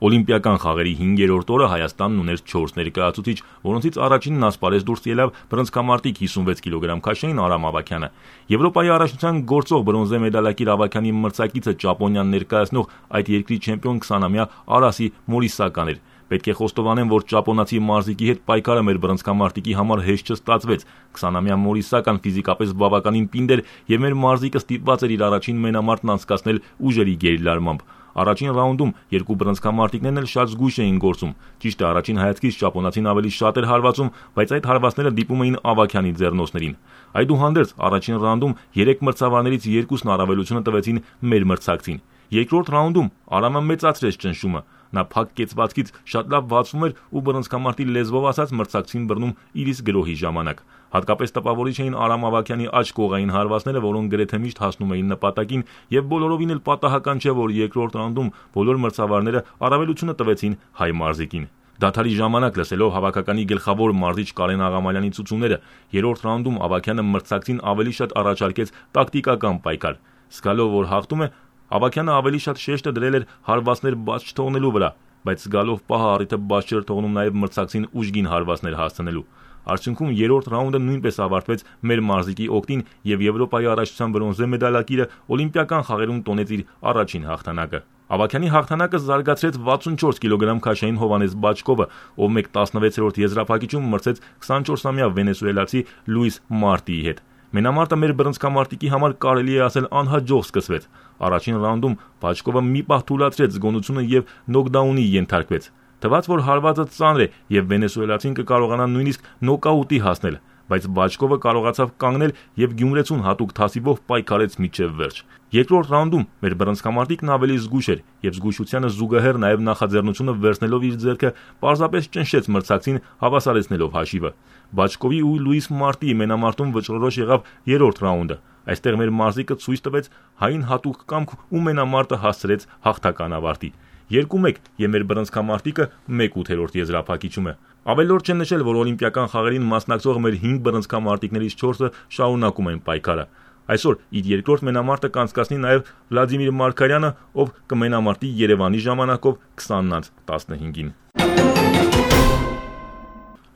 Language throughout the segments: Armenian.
Օլիմպիական խաղերի 5-րդ օրը Հայաստանն ուներ 4 ներկայացուցիչ, որոնցից առաջինն ասպարեզ դուրս ելավ բռնցքամարտիկ 56 կիլոգրամ քաշային Արամ Ավագյանը։ Եվրոպայի առաջնության գործող բրոնզե մեդալակիր Ավագյանի մրցակիցը ճապոնիան ներկայացնող այդ երկրի չեմպիոն 20-ամյա Արասի Մորիսական էր։ Պետք է խոստովանեմ, որ ճապոնացի մարզիկի հետ պայքարը մեր բռնցքամարտիկի համար հեշտ չստացվեց։ 20-ամյա Մորիսական ֆիզիկապես բավականին պինդ էր եւ մեր մարզիկը ստիպված էր իր առաջին մենամարտն անցկացնել ուժերի գերլարմամբ։ Առաջին ռաունդում երկու բռնցքամարտիկներն էլ շատ զգույշ էին գործում։ Ճիշտ է, առաջին հայացքից ճապոնացին ավելի շատ էր հարվածում, բայց այդ հարվածները դիպում էին Ավագյանի ձեռնոցներին։ Այդուհանդերձ առաջին ռաունդում 3 մրցավարներից 2-ն առավելությունը տվեցին մեր մրցակցին։ Երկրորդ ռաունդում Արամը մեծացրեց ճնշումը։ Նա փակ կեցվածքից շատ լավ բացվում էր ու բռնցքամարտի լեզվով ասած մրցակցին բռնում իր իսկ գրոհի ժամանակ։ Հատկապես տպավորիչ էին Արամ Ավագյանի աջ կողային հարվածները, որոնք գրեթե միշտ հասնում էին նպատակին, եւ բոլորովին էլ պատահական չէ, որ երկրորդ ռաունդում բոլոր մրցավարները առավելությունը տվեցին հայ մարզիկին։ Դադարի ժամանակ լսելով հավաքականի գլխավոր մարզիչ Կարեն Աղամալյանի ցուցումները, երրորդ ռաունդում Ավագյանը մրցակցին ավելի շատ առաջարկեց տակտիկական պայքար։ Զգալով, որ հաղթում է, Ավագյանը ավելի շատ շեշտը դրել էր հարվածներ բաց չթողնելու վրա, բայց զգալով պահը առիթը բաց չէր թողնում նաև մրցակցին ուժգին հարվածներ հասցնելու։ Արդյունքում երրորդ ռաունդը նույնպես ավարտվեց մեր մարզիկի օգտին եւ Եվրոպայի առաջնության բրոնզե մեդալակիրը օլիմպիական խաղերում տոնեց իր առաջին հաղթանակը։ Ավագյանի հաղթանակը զարգացրեց 64 կիլոգրամ քաշային Հովանես Բաչկովը, ով 1/16-րդ եզրափակիչում մրցեց 24-ամյա վենեսուելացի Լուիս Մարտիի հետ։ Մենամարտը մեր բռնցքամարտիկի համար կարելի է ասել անհաջող սկսվեց։ Առաջին ռաունդում Բաչկովը մի պահ թուլացրեց զգոնությունը եւ նոկդաունի ենթարկվեց։ Թվաց, որ հարվածը ծանր է եւ վենեսուելացին կկարողանա նույնիսկ նոկաուտի հասնել, բայց Բաչկովը կարողացավ կանգնել եւ գյումրեցուն հատուկ թասիվով պայքարեց մինչեւ վերջ։ Երկրորդ ռաունդում մեր բռնցքամարտիկն ավելի զգույշ էր եւ զգույշությանը զուգահեռ նաեւ նախաձեռնությունը վերցնելով իր ձեռքը պարզապես ճնշեց մրցակցին, հավասարեցնելով հաշիվը։ Բաչկովի ու Լուիս Մարտիի մենամարտում վճռորոշ եղավ երրորդ ռաունդը։ Այստեղ մեր մարզիկը ցույց տվեց հային հատուկ կամք ու մենամարտը հասցրեց հաղթական ավարտի։ 2-1 եւ մեր բռնցքամարտիկը 1/8 եզրափակիչում է։ Ավելորդ չէ նշել, որ օլիմպիական խաղերին մասնակցող մեր 5 բռնցքամարտիկներից 4-ը շարունակում են պայքարը։ Այսօր իր երկրորդ մենամարտը կանցկացնի նաև Վլադիմիր Մարկարյանը, ով կմենամարտի Երևանի ժամանակով 20:15-ին։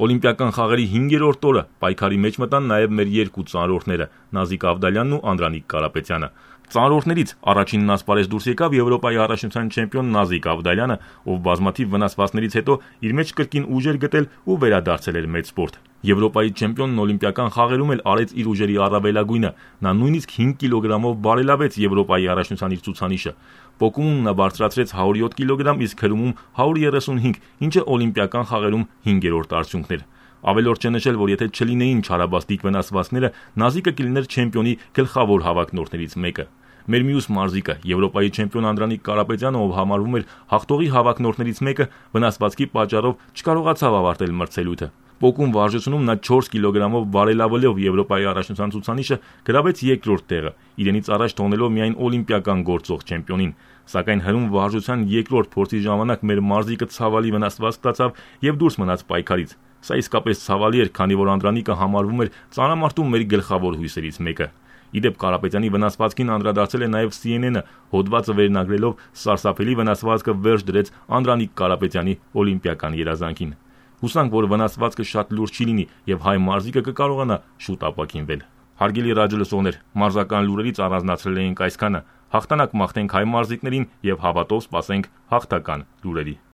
Օլիմպիական խաղերի 5-րդ օրը պայքարի մեջ մտան նաև մեր երկու ծանրորդները՝ Նազիկ Ավդալյանն ու Անդրանիկ Կարապետյանը։ Ծանրորդներից առաջինն ասպարեզ դուրս եկավ Եվրոպայի առաջնության չեմպիոն Նազիկ Ավդալյանը, ով բազմաթիվ վնասվածքներից հետո իր մեջ կրկին ուժեր գտել ու վերադարձել էր մեծ սպորտ։ Եվրոպայի չեմպիոնն օլիմպիական խաղերում էլ արեց իր ուժերի առավելագույնը։ Նա նույնիսկ 5 կիլոգրամով բարելավեց Եվրոպայի առաջնության իր ցուցանիշը։ Պոկումում նա բարձրացրեց 107 կիլոգրամ, իսկ հրումում 135, ինչը օլիմպիական խաղերում 5-րդ արդյունքն էր։ Ավելորդ չէ նշել, որ եթե չլինեին չարաբաստիկ վնասվածքները, Նազիկը կլիներ չեմպիոնի գլխավոր հավակնորդներից մեկը։ Մեր մյուս մարզիկը, Եվրոպայի չեմպիոն Անդրանիկ Կարապետյանը, ով համարվում էր հաղթողի հավակնորդներից մեկը, վնասվածքի պատճառով չկարողացավ ավարտել մրցելույթը։ Պոկում վարժությունում նա 4 կիլոգրամով բարելավելով Եվրոպայի առաջնության ցուցանիշը գրավեց երկրորդ տեղը, իրենից առաջ թողնելով միայն օլիմպիական գործող չեմպիոնին։ Սակայն հրում վարժության երկրորդ փորձի ժամանակ մեր մարզիկը ցավալի վնասվածք ստացավ եւ դուրս մնաց պայքարից։ Սա իսկապես ցավալի էր, քանի որ Անդրանիկը համարվում էր ծանրամարտում մեր գլխավոր հույսերից մեկը։ Իդեպ Կարապետյանի վնասվածքին անդրադարձել է նաև CNN-ը, հոդվածը վերնագրելով «Սարսափելի վնասվածքը վերջ դրեց Անդրանիկ Կարապետյանի օլիմպիական երազանքին»։ Հուսանք, որ վնասվածքը շատ լուրջ չի լինի եւ հայ մարզիկը կկարողանա շուտ ապաքինվել։ Հարգելի ռադիոլսողներ, մարզական լուրերից առանձնացրել էինք այսքանը։ Հաղթանակ մաղթենք հայ մարզիկներին եւ հավատով սպասենք հաղթական լուրերի։